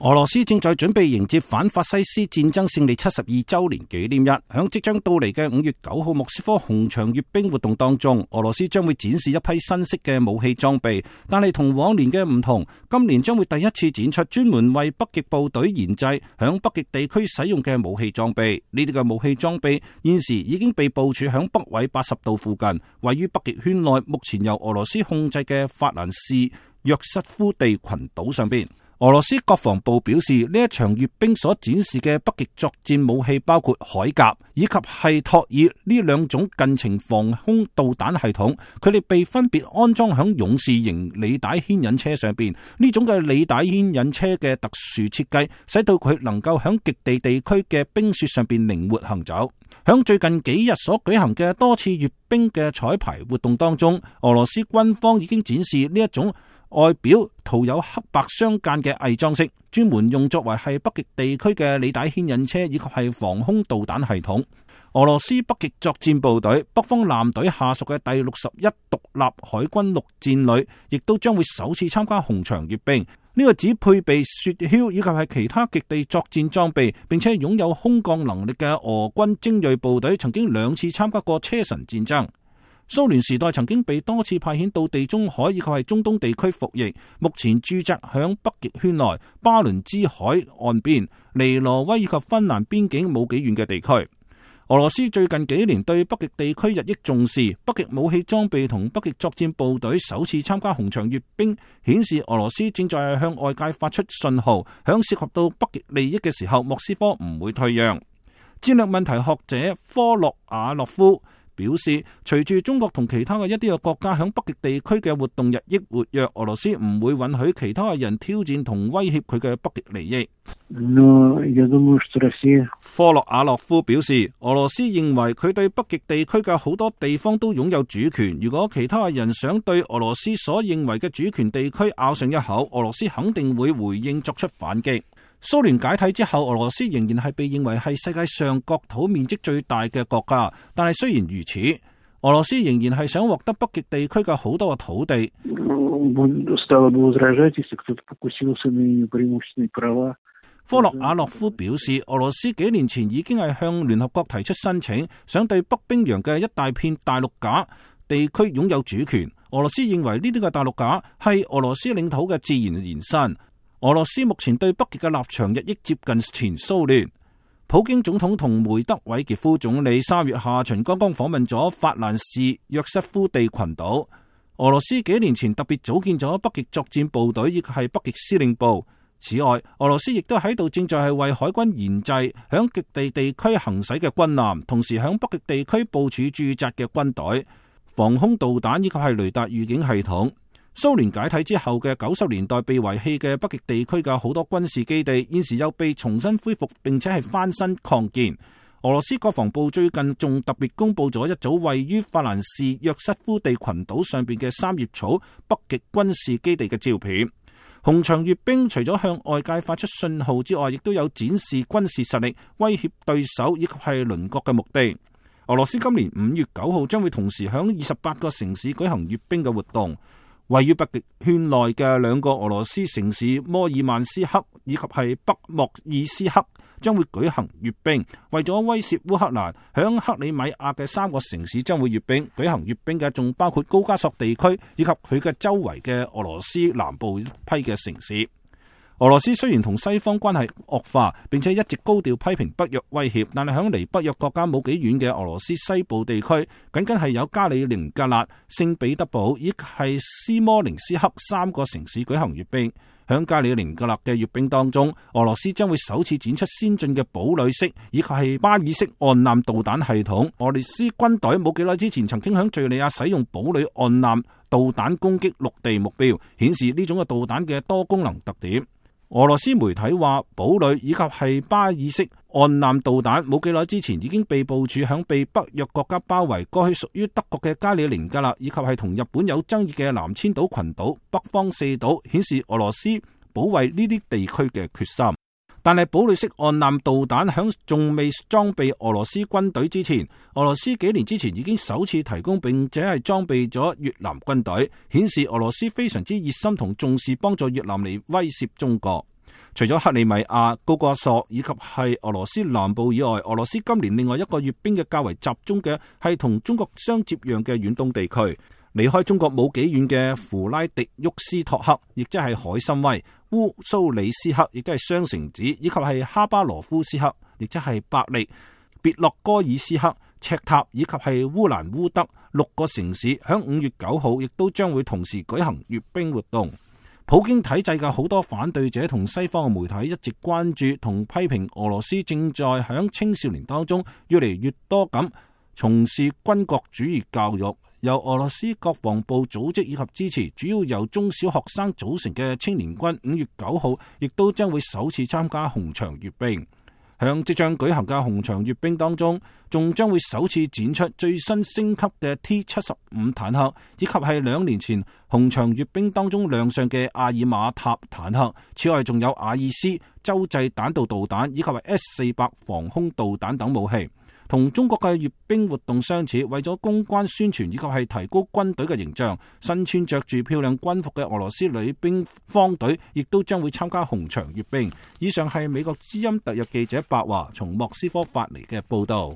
俄羅斯正在準備迎接反法西斯戰爭勝利72周年紀念日，響即將到嚟嘅5月9號莫斯科紅場閱兵活動當中，俄羅斯將會展示一批新式嘅武器裝備，但係同往年嘅唔同，今年將會第一次展出專門為北極部隊研製響北極地區使用嘅武器裝備。呢啲嘅武器裝備現時已經被部署響北緯80度附近，位於北極圈內目前由俄羅斯控制嘅法蘭士約瑟夫地群島上邊。俄羅斯國防部表示，呢一場閱兵所展示嘅北極作戰武器包括鎧甲以及係托爾呢兩種近程防空導彈系統，佢哋被分別安裝響勇士型履帶牽引車上邊。呢種嘅履帶牽引車嘅特殊設計，使到佢能夠響極地地區嘅冰雪上邊靈活行走。響最近幾日所舉行嘅多次閱兵嘅彩排活動當中，俄羅斯軍方已經展示呢一種外表塗有黑白相間嘅偽裝飾，專門用作為係北極地區嘅履帶牽引車以及係防空導彈系統。俄羅斯北極作戰部隊北方艦隊下屬嘅第61獨立海軍陸戰旅，亦都將會首次參加紅場閱兵。呢個只配備雪橇以及係其他極地作戰裝備，並且擁有空降能力嘅俄軍精銳部隊，曾經2次參加過車臣戰爭。蘇聯時代曾經被多次派遣到地中海以及係中東地區服役，目前駐紮響北極圈內巴倫支海岸邊、尼挪威以及芬蘭邊境冇幾遠嘅地區。俄羅斯最近幾年對北極地區日益重視，北極武器裝備同北極作戰部隊首次參加紅場閱兵，顯示俄羅斯正在向外界發出信號，響涉及到北極利益嘅時候，莫斯科唔會退讓。戰略問題學者科洛瓦洛夫表示，隨住中國同其他嘅一啲嘅國家響北極地區嘅活動日益活躍，俄羅斯唔會允許其他嘅人挑戰同威脅佢嘅北極利益。科洛瓦洛夫表示，俄羅斯認為佢對北極地區嘅好多地方都擁有主權，如果其他嘅人想對俄羅斯所認為嘅主權地區咬上一口，俄羅斯肯定會回應作出反擊。蘇聯解體之後，俄羅斯仍然係被認為係世界上國土面積最大嘅國家，但係雖然如此，俄羅斯仍然係想獲得北極地區嘅好多嘅土地。科洛瓦洛夫表示，俄羅斯幾年前已經係向聯合國提出申請，想對北冰洋嘅一大片大陸架地區擁有主權。俄羅斯認為呢啲嘅大陸架係俄羅斯領土嘅自然延伸。俄羅斯目前對北極嘅立場日益接近前蘇聯。普京總統同梅德韋傑夫總理3月下旬剛剛訪問咗法蘭士約瑟夫地群島。俄羅斯幾年前特別組建咗北極作戰部隊，亦係北極司令部。此外，俄羅斯亦都喺度正在係為海軍研製響極地地區行駛嘅軍艦，同時響北極地區部署駐紮嘅軍隊、防空導彈以及係雷達預警系統。蘇聯解體之後嘅90年代被遺棄嘅北極地區嘅好多軍事基地，現時又被重新恢復，並且係翻新擴建。俄羅斯國防部最近仲特別公布咗一組位於法蘭士約瑟夫地群島上邊嘅三葉草北極軍事基地嘅照片。紅場閱兵除咗向外界發出信號之外，亦都有展示軍事實力、威脅對手以及係鄰國嘅目的。俄羅斯今年5月9號將會同時響28個城市舉行閱兵嘅活動。位於北極圈內嘅2個俄羅斯城市摩爾曼斯克以及係北莫爾斯克將會舉行閱兵，為咗威懾烏克蘭，響克里米亞嘅3個城市將會閱兵。舉行閱兵嘅仲包括高加索地區以及佢嘅周圍嘅俄羅斯南部批嘅城市。俄羅斯雖然同西方關係惡化，並且一直高調批評北約威脅，但係響離北約國家冇幾遠嘅俄羅斯西部地區，僅僅係有加里寧格勒、聖彼得堡以及係斯摩棱斯克3個城市舉行閱兵。響加里寧格勒嘅閱兵當中，俄羅斯將會首次展出先進嘅堡壘式以及係巴爾式岸艦導彈系統。俄羅斯軍隊冇幾耐之前曾經響敘利亞使用堡壘岸艦導彈攻擊陸地目標，顯示呢種嘅導彈嘅多功能特點。俄羅斯媒體話，堡壘以及係巴爾式岸艦導彈冇幾耐之前已經被部署響被北約國家包圍、過去屬於德國嘅加里寧格勒以及係同日本有爭議嘅南千島群島北方4島，顯示俄羅斯保衛呢啲地區嘅決心。但係堡壘式岸艦導彈響仲未裝備俄羅斯軍隊之前，俄羅斯幾年之前已經首次提供並且係裝備咗越南軍隊，顯示俄羅斯非常之熱心同重視幫助越南嚟威懾中國。除咗克里米亞、高加索以及係俄羅斯南部以外，俄羅斯今年另外一個閱兵嘅較為集中嘅係同中國相接壤嘅遠東地區。離開中國冇幾遠嘅弗拉迪沃斯托克，亦即係海參崴、烏蘇里斯克，亦都係雙城子，以及係哈巴羅夫斯克，亦即係伯利、別洛哥爾斯克、赤塔以及係烏蘭烏德6個城市，響5月9號亦都將會同時舉行閱兵活動。普京體制嘅好多反對者同西方嘅媒體一直關注同批評俄羅斯正在響青少年當中越嚟越多咁從事軍國主義教育。由俄羅斯國防部組織以及支持，主要由中小學生組成嘅青年軍5月9號亦都將會首次參加紅場閱兵。響即將舉行嘅紅場閱兵當中，仲將會首次展出最新升級嘅 T-75坦克，以及係2年前紅場閱兵當中亮相嘅阿爾馬塔坦克。此外，仲有阿爾斯洲際彈道導彈以及係 S-400防空導彈等武器。同中國嘅閱兵活動相似，為咗公關宣傳以及係提高軍隊嘅形象，身穿着住漂亮軍服嘅俄羅斯女兵方隊亦都將會參加紅場閱兵。以上係美國之音特約記者白華從莫斯科發嚟嘅報道。